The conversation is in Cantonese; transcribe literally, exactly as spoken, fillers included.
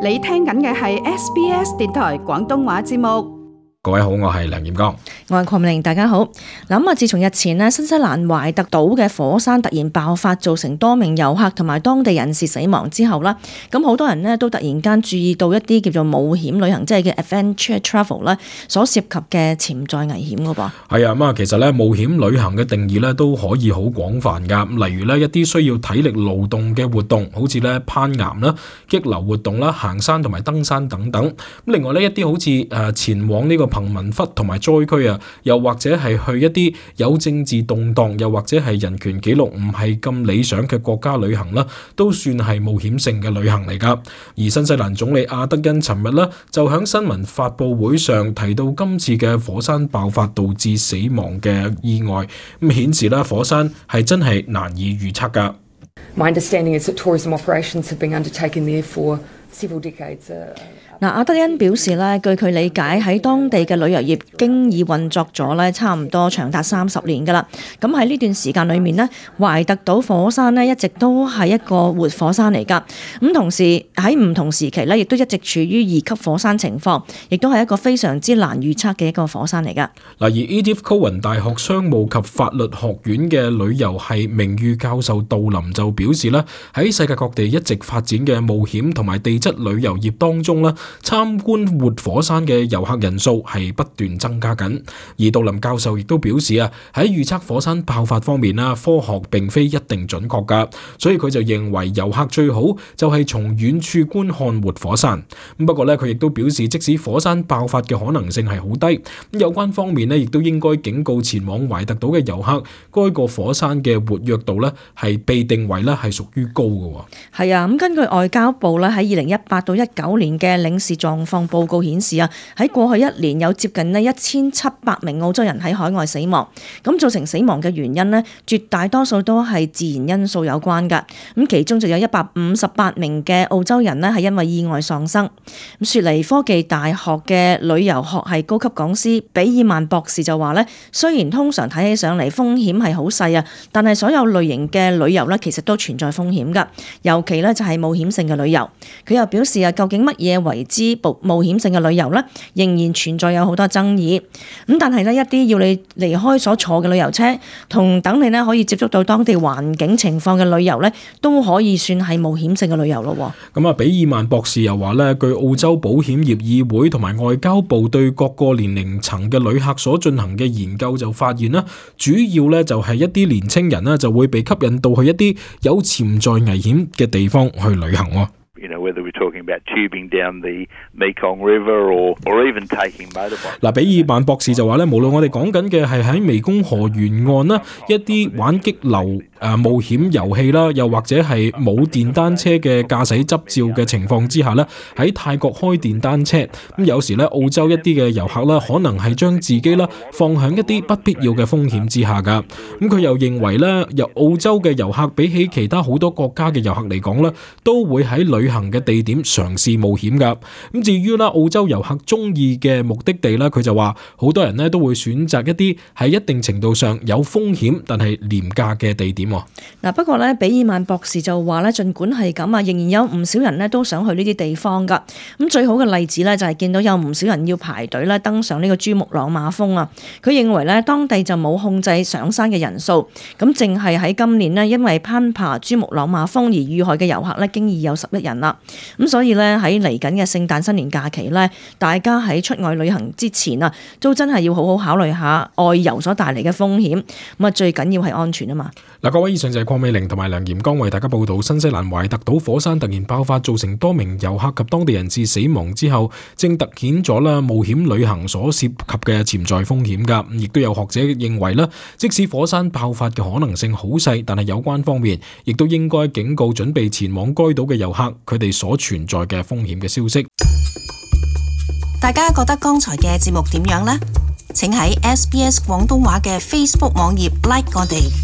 你聽緊嘅係 S B S 電台廣東話節目。各位好，我係梁炎剛，我係鄺美玲，大家好。嗱，啊，自從日前咧新西蘭懷特島嘅火山突然爆發，造成多名遊客同埋當地人士死亡之後啦，咁好多人咧都突然間注意到一啲叫做冒險旅行，即係嘅 adventure travel 咧，所涉及嘅潛在危險噶噃。係啊，咁啊，其實咧冒險旅行嘅定義咧都可以好廣泛噶。例如咧一啲需要體力勞動嘅活動，好似咧攀岩啦、激流活動啦、行山同埋登山等等。咁另外呢，一啲好似誒前往呢個貧民窟同埋災區啊，又或者係去一啲有政治動盪，又或者係人權紀錄唔係咁理想嘅國家旅行啦，都算係冒險性嘅旅行嚟噶。而新西蘭總理阿德恩尋日呢，就喺新聞發佈會上提到今次嘅火山爆發導致死亡嘅意外，咁顯示啦火山係真係難以預測噶。My understanding is that tourism operations have been undertaken there for several decades. Uh, 嗱，阿德恩表示咧，據佢理解喺當地嘅旅遊業經已運作咗咧，差唔多長達三十年噶啦。咁喺呢段時間裏面呢，懷特島火山呢一直都係一個活火山嚟噶。咁同時喺唔同時期咧，亦都一直處於二級火山情況，亦都係一個非常之難預測嘅一個火山嚟噶。嗱，而 Edith Cowan 大學商務及法律學院嘅旅遊系名譽教授杜林就表示咧，喺世界各地一直發展嘅冒險同埋地質旅遊業當中咧，參觀活火山嘅遊客人數係不斷增加緊，而杜林教授亦都表示啊，喺預測火山爆發方面啦，科學並非一定準確噶，所以佢就認為遊客最好就係從遠處觀看活火山。不過咧，佢亦都表示，即使火山爆發嘅可能性係好低，有關方面咧亦都應該警告前往懷特島嘅遊客，該個火山嘅活躍度咧係被定為咧係屬於高嘅。係啊，咁根據外交部咧喺二零一八到一九年嘅領事狀況報告顯示啊，喺過去一年有接近呢一千七百名澳洲人喺海外死亡，咁造成死亡嘅原因呢，絕大多數都係自然因素有關噶。咁其中就有一百五十八名嘅澳洲人呢係因為意外喪生。咁雪梨科技大學嘅旅遊學系高級講師比爾曼博士就話呢，雖然通常睇起上嚟風險係好細啊，但係所有類型嘅旅遊呢其實都存在風險噶，尤其呢就係冒險性嘅旅遊。佢又表示啊，究竟乜嘢為之冒險性嘅旅遊呢，仍然存在有好多爭議。咁但係呢，一啲要你離開所坐嘅旅遊車，同等你呢可以接觸到當地環境情況嘅旅遊呢，都可以算係冒險性嘅旅遊咯。咁啊，比爾曼博士又話呢，據澳洲保險業議會同埋外交部對各個年齡層嘅旅客所進行嘅研究就發現啦，主要呢就係一啲年青人呢就會被吸引到去一啲有潛在危險嘅地方去旅行。You know, whether we're talking about tubing down the Mekong River or, or even taking motorbikes. 嗱，比爾曼博士就話咧，無論我哋講緊嘅係喺湄公河沿岸啦，一啲玩激流誒、呃、冒險遊戲啦，又或者係冇電單車嘅駕駛執照嘅情況之下咧，喺泰國開電單車咁，有時咧澳洲一啲嘅遊客啦，可能係將自己啦放響一啲不必要嘅風險之下噶。咁佢又認為咧，由澳洲嘅遊客比起其他好多國家嘅遊客嚟講咧，都會喺旅行嘅地點嘗試冒險噶。咁至於啦，澳洲遊客中意嘅目的地咧，佢就話好多人咧都會選擇一啲喺一定程度上有風險但係廉價嘅地點。嗱，不過咧，比爾曼博士就話咧，儘管係咁啊，仍然有唔少人咧都想去呢啲地方噶。咁最好嘅例子咧就係見到有唔少人要排隊咧登上呢個珠穆朗瑪峰啊。佢認為咧當地就冇控制上山嘅人數，咁淨係喺今年呢，因為攀爬珠穆朗瑪峰而遇害嘅遊客咧，經已有十一人啦。咁所以咧喺嚟緊嘅聖誕新年假期咧，大家喺出外旅行之前啊，都真係要好好考慮下外遊所帶嚟嘅風險。咁啊，最緊要係安全啊嘛。嗱，各位，以上就係鄺美玲同埋梁炎剛為大家報道新西蘭懷特島火山突然爆發，造成多名遊客及當地人士死亡之後，正突顯咗啦冒險旅行所涉及嘅潛在風險噶。亦都有學者認為啦，即使火山爆發嘅可能性好細，但係有關方面亦都應該警告準備前往該島嘅遊客，佢哋所存在嘅風險嘅消息。大家覺得剛才嘅節目點樣呢？請喺 S B S 廣東話嘅 Facebook 網頁 like 我哋。